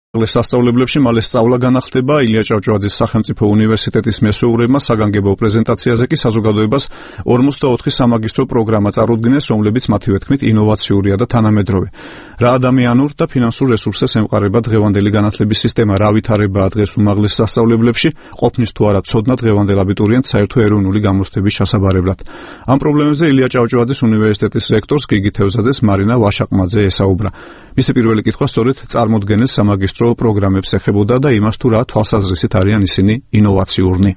სასწავლებლებში მალე სწავლა განახდება. ილია ჭავჭავაძის სახელმწიფო უნივერსიტეტის მესვეურებმა საგანგებო პრეზენტაციაზე კი საზოგადოებას 44 სამაგისტრო პროგრამა წარუდგინეს, რომლებიც მათივე თქმით ინოვაციურია და თანამედროვე. რა ადამიანურ და ფინანსურ რესურსებს ემყარება დღევანდელი განათლების სისტემა, რა ვითარებაა დღეს უმაღლეს სასწავლებლებში, ყოფნის თუ არა ცოდნა დღევანდელ აბიტურიენტს საერთო ეროვნული გამოცდების ჩასაბარებლად. ამ პრობლემებზე ილია ჭავჭავაძის უნივერსიტეტის რექტორს გიგი თევზაძეს მარინა ვაშაყმაძე ესაუბრა. მისი პირველი კითხვა სწორედ წარმოდგენილ სამაგისტრო პროგრამებს ეხებოდა და იმას თუ რა თვალსაზრისით არიან ისინი ინოვაციურნი.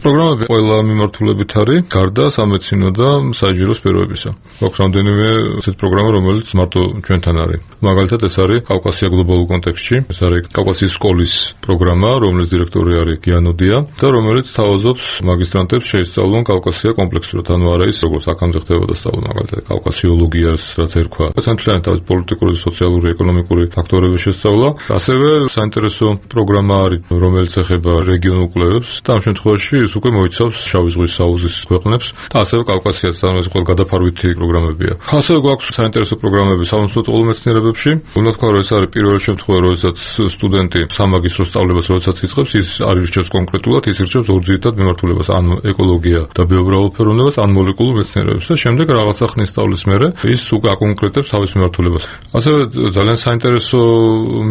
პროგრამები ყველა მიმართულებით არის, გარდა სამეცნიერო და საინჟინრო სფეროებისა. გვაქვს რამდენიმე ესეთ პროგრამა, რომელიც მარტო ჩვენთან არის. მაგალითად, ეს არის კავკასია გლობალურ კონტექსტში, ეს არის კავკასიის სკოლის პროგრამა, რომლის დირექტორი არის გიანოდია და რომელიც თავაზობს მაგისტრანტებს შეისწავლონ კავკასია კომპლექსურად, ანუ არა ის როგორც აქამდე ხდებოდა სწავლა, მაგალითად, კავკასიოლოგიას, რაც ერქვა. სანთლიანად თავის პოლიტიკური, სოციალური, ეკონომიკური ფაქტორების შესწავლა. ასევე საინტერესო პროგრამა არის, რომელიც ეხება რეგიონულ კვლევებს და ამ შემთხვევაში უკვე მოიცავს შავი ზღვის საუზის ქვეყნებს და ასევე კავკასიას, ანუ ეს ყველა გადაფარვითი პროგრამებია. ასევე გვაქვს საინტერესო პროგრამები სამომსვლელო მეცნიერებებში. უნდა თქვა, რომ ეს არის პირველი შემთხვევა, როდესაც სტუდენტი სამაგისტრო სწავლებას როდესაც იწყებს, ის არ ირჩევს კონკრეტულად, ის ირჩევს ორ ძირითად მიმართულებას, ან ეკოლოგია და ბიომრავალფეროვნებას, ან მოლეკულურ მეცნიერებებს და შემდეგ რაღაცა ხნის სწავლის მერე ის უკვე აკონკრეტებს თავის მიმართულებას. ასევე ძალიან საინტერესო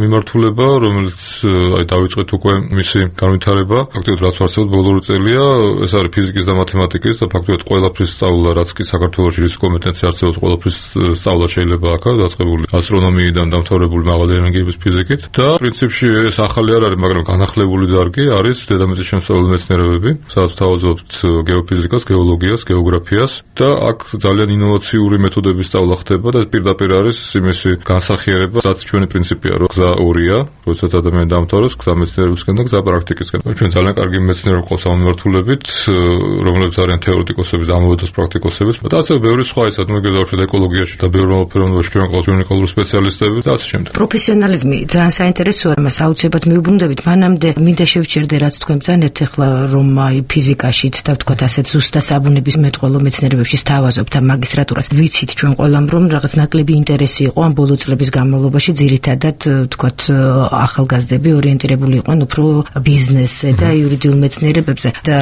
მიმართულება, რომელიც დავიწყეთ უკვე მისი განვითარება, ფაქტობრივად რაც არსებობს ბოლო წელი ეს არის ფიზიკის და მათემატიკის და ფაქტობრივად ყველაფრის სწავლა, რაც კი საქართველოში რის კომპეტენცია არსებობს, ყველაფრის სწავლა შეიძლება აქაც დაწყებული ასტრონომიიდან დამთავრებული მაღალი ენერგიების ფიზიკით და პრინციპში ეს ახალი არ არის, მაგრამ განახლებული დარგი არის დედამიწის შემსწავლელი მეცნიერებები, სადაც თავაზობთ გეოფიზიკას, გეოლოგიას, გეოგრაფიას და აქ ძალიან ინოვაციური მეთოდების სწავლა ხდება და პირდაპირ არის იმისი განსახიერება, რაც ჩვენი პრინციპია, რომ გზა ორია, როდესაც ადამიანი დამთავრებს, გზა მეცნიერებისკენ და გზა პრაქტიკისკენ. ჩვენ ძალიან კარგი მეცნიერები ყავს ამ მიმართულებით, რომლებიც არიან თეორეტიკოსები, ამავდროულად პრაქტიკოსები და ასევე ბევრი სხვა ისეთ მოგედავშეთ ეკოლოგიაში და ბიომრავალფეროვნებაში ჩვენ ყავს უნიკალური სპეციალისტები და ასე შემდეგ. პროფესიონალიზმი ძალიან საინტერესოა, მას აუცილებლად მიუბრუნდებით. მანამდე მინდა შევჩერდე, რაც თქვენ ბრძანებთ ახლა, რომ ფიზიკაშიც და ვთქვათ ასეთ ზუსტად საბუნების მეტყველო მეცნიერებებში სთავაზობთ ამ მაგისტრატურას. ვიცით ჩვენ ყველამ, რომ რაღაც ნაკლები ინტერესი იყო ამ ბოლო წლების განმავლობაში, ძირითადად ვთქვათ ახალგაზრდები ორიენტირებული იყვნენ უფრო ბიზნესზე და იურიდიულ მეცნიერებებზე და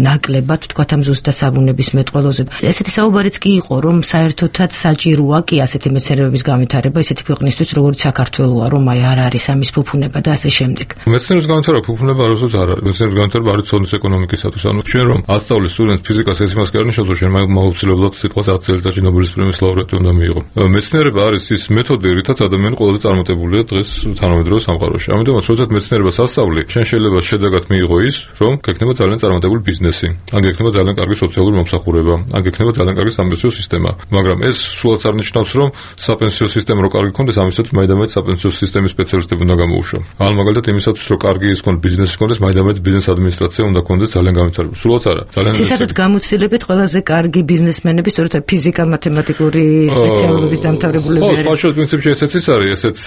ნაკლებად ვთქვათ ამ ზუსტად საბუნების მეტყველოზე. ესეთი საუბარიც კი იყო, რომ საერთოდაც საჭიროა კი ასეთი მეცნიერებების განვითარება ისეთი ქვეყნისთვის, როგორც საქართველოა, რომ არ არის ამის ფუფუნება და ასე შემდეგ. მეცნიერების განვითარება ფუფუნება არასოდეს არ არის. მეცნიერების განვითარება არის ცოდნის ეკონომიკისათვის. ანუ ჩვენ რომ ასწავლის სტუდენტს ფიზიკას ეს იმას კი არ ნიშნავს, რომ ჩვენ მაუცილებლად სიტყვას 10 წელიწადში ნობელის პრემიის ლაურეატი უნდა მიიღო. მეცნიერება არის ის მეთოდი, რითაც ადამიანი ყველაზე წარმატებულია დღეს თანამედროვე სამყაროში. ამიტომაც როდესაც მეცნიერებას ასწავლი, შენ შეიძლება შედეგად მიიღო ის, რომ გექნება ძალიან წარმატებული ბიზნესი, ან გექნება ძალიან კარგი სოციალური მომსახურება, ან გექნება ძალიან კარგი საპენსიო სისტემა. მაგრამ ეს სულაც არ ნიშნავს, რომ საპენსიო სისტემა რო კარგი ქონდეს, ამისათვის მაინდამაინც საპენსიო სისტემის სპეციალისტები უნდა გამოუშვა. ან მაგალითად იმისათვის, რომ კარგი ის ქონდეს ბიზნესი ქონდეს, მაინდამაინც ბიზნეს ადმინისტრაცია უნდა ქონდეს ძალიან განვითარებული. სულაც არა. ძალიან ისედაც გამოცდილებით ყველაზე კარგი ბიზნესმენები სწორედ ფიზიკა-მათემატიკური სპეციალობების დამთავრებულები არიან. ხო, სპეციალურ პრინციპში ესეც ის არის, ესეც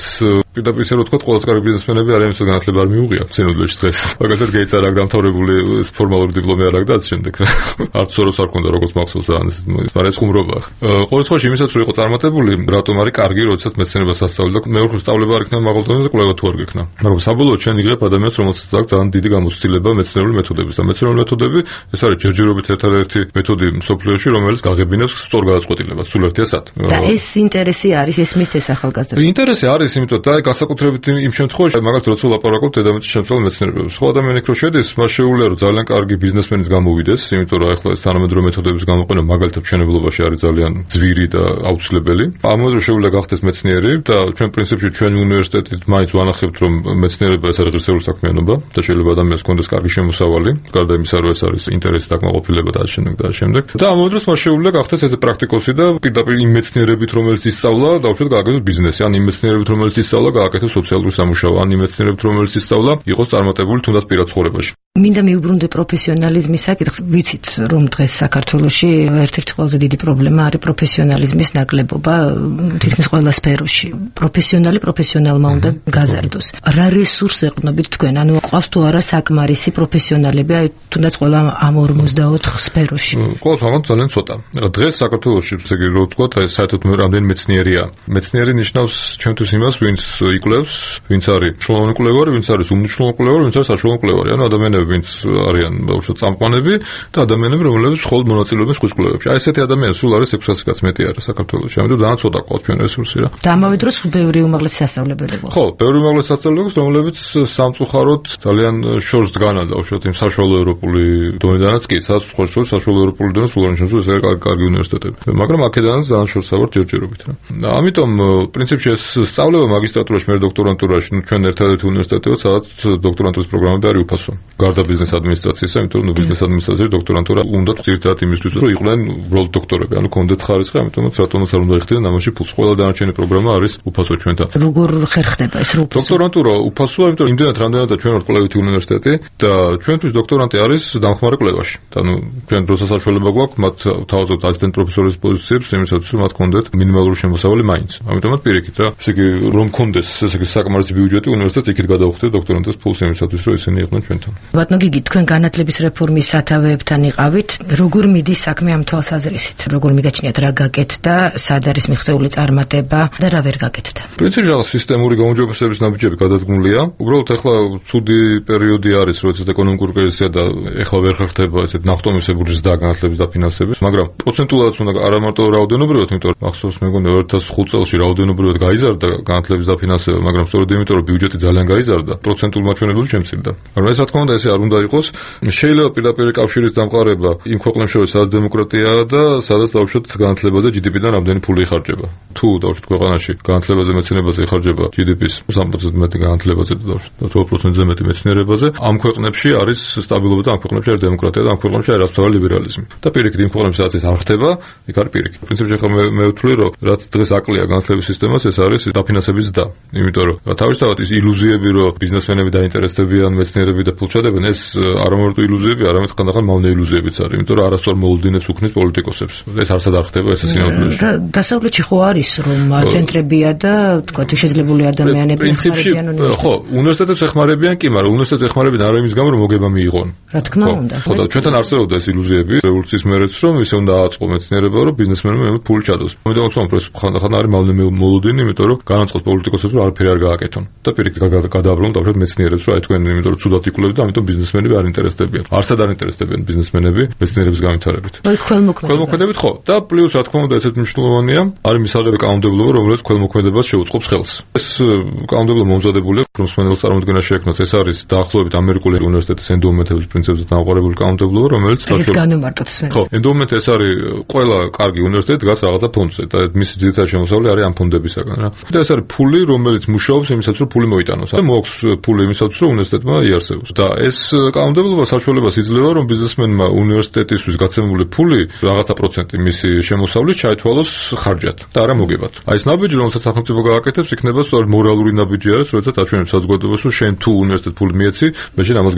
პირდაპირ ისე რომ თქვა, ყველაზე კარგი ბიზნესმენები არიან, ვისაც განათლება არ მიუღია სინოდლეში დღეს. მაგალითად გეიც არ აქვს დამთავრებული ფორმალური დიპლომი არ აქვს და ასე შემდეგ. არც სოროს არ ქონდა როგორც მახსოვს ან ეს მაგრამ ეს ხუმრობაა. ყოველ შემთხვევაში იმისაც რომ იყო წარმატებული, რატომ არის კარგი, როდესაც მეცნიერებას ასწავლი და მეორე სწავლება არ იქნება მაღალდონეზე და კვლევა თუ არ გექნა. მაგრამ საბოლოოდ ჩვენ იღებ ადამიანს, რომელსაც აქვს ძალიან დიდი გამოცდილება მეცნიერული მეთოდების და მეცნიერული მეთოდები ეს არის ჯერჯერობით ერთადერთი მეთოდი მსოფლიოში, რომელიც გაღებინებს სწორ გადაწყვეტილებას სულ ერთი ასად. და ეს ინტერესი არის, ეს მისთეს ახალგაზრდებს. ინტერესი არის, იმიტომ და განსაკუთრებით იმ შემთხვევაში, მაგალითად როცა ვლაპარაკობთ დედამიწის შემსწავლელ მეცნიერებებს. ხო ადამიანი იქ რო შედის, მას შეუძლია რომ ძალიან კარგი ბიზნესმენის გამოვიდეს, იმიტომ რომ ახლა ეს თანამედროვე მეთოდების გამოყენება მაგალითად მშენებლობაში არის ძალიან ძვირი და აუცილებელი. ამავდროულად შეუძლია გახდეს მეცნიერი და ჩვენ პრინციპში ჩვენი უნივერსიტეტით მაინც ვანახებთ, რომ მეცნიერება ეს არის ღირსეული საქმიანობა და შეიძლება ადამიანს კონდეს კარგი შემოსავალი, გარდა იმისა, რომ ეს არის ინტერესი დაკმაყოფილება და ამ შემდეგ. და ამავდროულად მას შეუძლია გახდეს ეს პრაქტიკოსი და პირდაპირ იმ მეცნიერებით, რომელიც ისწავლა, დაუშვათ გააკეთოს ბიზნესი, ან იმ მეცნიერებით, რომელიც ისწავლა, გააკეთოს სოციალური სამუშაო, ან იმ მეცნიერებით, რომელიც ისწავლა, იყოს წარმატებული თუნდაც პირად ცხოვრებაში. მინდა მიუბრუნდე პროფესიონალიზმის საკითხს. ვიცით, რომ დღეს საქართველოში ერთ-ერთი ყველაზე დიდი პრობლემა არის პროფესიონალიზმის ნაკლებობა თითქმის ყველა სფეროში. პროფესიონალმა უნდა გაზარდოს. რა რესურს ეყნობით თქვენ? ანუ ყავს თუ არა საკმარისი პროფესიონალები, აი თუნდაც ყველა ამ 54 სფეროში? ყოველთვის მაგათ ძალიან ცოტა. დღეს საქართველოში, ესე იგი, რო ვთქვათ, აი საერთოდ რამდენი მეცნიერია. მეცნიერი ნიშნავს ჩვენთვის იმას, ვინც იკვლევს, ვინც არის მნიშვნელოვანი კვლევარი, ვინც არის უმნიშვნელოვანი კვლევარი, ვინც არის საშუალო კვლევარი. ანუ ადამიანები, ვინც არიან ბავშვად წამყვანები და ადამიანები, რომლებიც მხოლოდ მონაწილეობენ სხვის კვლევებში. აი ესეთი ადამიანები სულ არის 600-ს მეტი არის საქართველოში. ამიტომ ძალიან ცოტა ყავს ჩვენ რესურსი რა. და ამავე დროს ბევრი უმაღლესი სასწავლებელი ყავს. ხო, ბევრი უმაღლესი სასწავლებელი, რომლებიც სამწუხაროდ ძალიან შორს დგანა დაუშვათ იმ საშუალო ევროპული დონედანაც კი, სადაც სხვა საშუალო ევროპული დონე სულ არ ნიშნავს, ეს არის კარგი უნივერსიტეტები. მაგრამ აქედანაც ძალიან შორს ავართ ჯერჯერობით რა. ამიტომ პრინციპში ეს სწავლება მაგისტრატურაში, მე დოქტორანტურაში, ნუ ჩვენ ერთადერთი უნივერსიტეტია, სადაც დოქტორანტურის პროგრამები არის უფასო. გარდა ბიზნეს ადმინისტრაციისა, იმიტომ რომ ბიზნეს ადმინისტრაციაში დოქტორანტურა უნდა ძირითადად იმისთვის, რომ იყვნენ უბრალოდ დოქტორები, ანუ კონდეთ ხარისხი, ამიტომაც რატომაც არ უნდა იხდიდნენ ამაში ფულს. ყველა დანარჩენი პროგრამა არის უფასო ჩვენთან. როგორ ხერხდება ეს რო უფასო? დოქტორანტურა უფასოა, იმიტომ რომ იმდენად რამდენადაც ჩვენ ვართ კვლევითი უნივერსიტეტი და ჩვენთვის დოქტორანტი არის დამხმარე კვლევაში. ანუ ჩვენ დროსაც საშუალება გვაქვს მათ თავაზობთ ასისტენტ პროფესორის პოზიციებს, იმისათვის რომ მათ კონდეთ მინიმალური შემოსავალი მაინც. ამიტომაც პირიქით რა, ესე იგი რომ კონდეს ესე იგი საკმარისი ბიუჯეტი უნივერსიტეტი იქით გადაუხდეთ დოქტორანტის ფულს იმისათვის რომ ისინი იყვნენ ჩვენთან. ბატონო გიგი, თქვენ განათლების რეფორმის სათავეებთან იყავით, როგორ მიდის საქმე ამ თვალსაზრისით? როგორ მიგაჩნიათ რა გაკეთდა, სად არის მიღწეული წარმატება და რა ვერ გაკეთდა? პრინციპში სისტემური გაუმჯობესების ნაბიჯები გადადგმულია. უბრალოდ ახლა ცუდი პერიოდი არის, როდესაც ეკონომიკური კრიზისია და ახლა ვერ ხერხდება ესეთ ნახტომისებური ზრდა განათლების დაფინანსების, მაგრამ პროცენტულად უნდა არა მარტო რაოდენობრივად, იმიტომ რომ ახსოვს მეგონა 2005 წელს რაოდენობრივად გაიზარდა განათლების დაფინანსება, მაგრამ სწორედ იმიტომ რომ ბიუჯეტი ძალიან გაიზარდა, პროცენტულ მაჩვენებლად შემცირდა. მაგრამ ეს რა თქმა უნდა ესე არ უნდა იყოს. შეიძლება პირდაპირ კავშირის დამყარება იმ ქვეყნებს შორის, სადაც დემოკრატიაა და სადაც დავუშვათ განათლებაზე GDP-დან რამდენი ფული იხარჯება. თუ დავუშვათ ქვეყანაში განათლებაზე, მეცნიერებაზე იხარჯება GDP-ს 3% მეტი განათლებაზე და დავუშვათ 20%-ზე მეტი მეცნიერებაზე, ამ ქვეყნებში არის სტაბილობა და ამ ქვეყნებში არის დემოკრატია და ამ ქვეყნებში არის რასთავარი ლიბერალიზმი. და პირიქით იმ ქვეყნებში სადაც ეს არ ხდება, იქ არის პირიქით. პრინციპში ახლა მე ვთვლი, რომ რაც დღეს აკლია განათლების სისტემას, ეს არის დაფინანსების ზრდა. იმიტომ რომ თავისთავად ის ილუზიები, რომ ბიზნესმენები დაინტერესდებიან, მეცნიერები და ფულჩადებენ, ეს არა მარტო ილუზიები, არამედ ხანდახან მავნე ილუზიებიც არის, იმიტომ რომ არასწორ მოლოდინებს უქმნის პოლიტიკოსებს. ეს არასად არ ხდება, ეს სინამდვილეში. დასავლეთში ხო არის, რომ ცენტრებია და თქვა შეძლებული ადამიანები ეხმარებიან უნივერსიტეტს. ხო, უნივერსიტეტებს ეხმარებიან კი, მაგრამ უნივერსიტეტს ეხმარებიან არა იმის გამო, რომ მოგება მიიღონ. რა თქმა უნდა. ხო, და ჩვენთან არსებობდა ეს ილუზიები რევოლუციის მერეც, რომ ისე უნდა აწყო მეცნიერება, რომ ბიზნესმენები ფული ჩადოს. ამიტომ ეს ხანდახან არის მავნე მოლოდინი, იმიტომ რომ განაცხადოთ პოლიტიკოსებს, რომ არაფერი არ გააკეთონ. და პირიქით გადააბრუნოთ დავუშვათ მეცნიერებს, რომ აი თქვენ იმიტომ რომ ცუდად იკვლევთ და ამიტომ ბიზნესმენები არ ინტერესდებიან. არსად არ ინტერესდებიან ბიზნესმენები მეცნიერების განვითარებით. ქველმოქმედებით ხო. და პლუს რა თქმა უნდა ესეც მნიშვნელოვანია, არის მისაღები კანონმდებლობა, რომელიც ქველმოქმედებას შეუწყობს ხელს. ეს კანონმდებლობა მომზადებულია, რომ მსმენელს წარმოდგენა შეექმნას. ეს არის დაახლოებით ამერიკული უნივერსიტეტის ენდოუმენტების პრინციპებზე დამყარებული კანონმდებლობა, რომელიც ხო, ენდოუმენტი ეს არის ყველა კარგი უნივერსიტეტი დგას რაღაცა ფონდზე და მისი ძირითადი შემოსავალი არის ამ ფონდებისაგან რა. და ეს არის ფული, რომელიც მუშაობს იმისათვის, რომ ფული მოიტანოს. და მოაქვს ფული იმისათვის, რომ უნივერსიტეტმა იარსებოს. და ეს კანონმდებლობა საშუალებას იძლევა, რომ ბიზნესმენმა უნივერსიტეტისთვის გაცემული ფული რაღაცა პროცენტი მისი შემოსავლის ჩაითვალოს ხარჯად და არა მოგებათ. აი ეს ნაბიჯი, რომელსაც სახელმწიფო გააკეთებს, იქნება სწორედ მორალური ნაბიჯი არის, როდესაც აჩვენებს საზოგადოებას, რომ შენ თუ უნივერსიტეტ ფული მიეცი, მე შენ ამას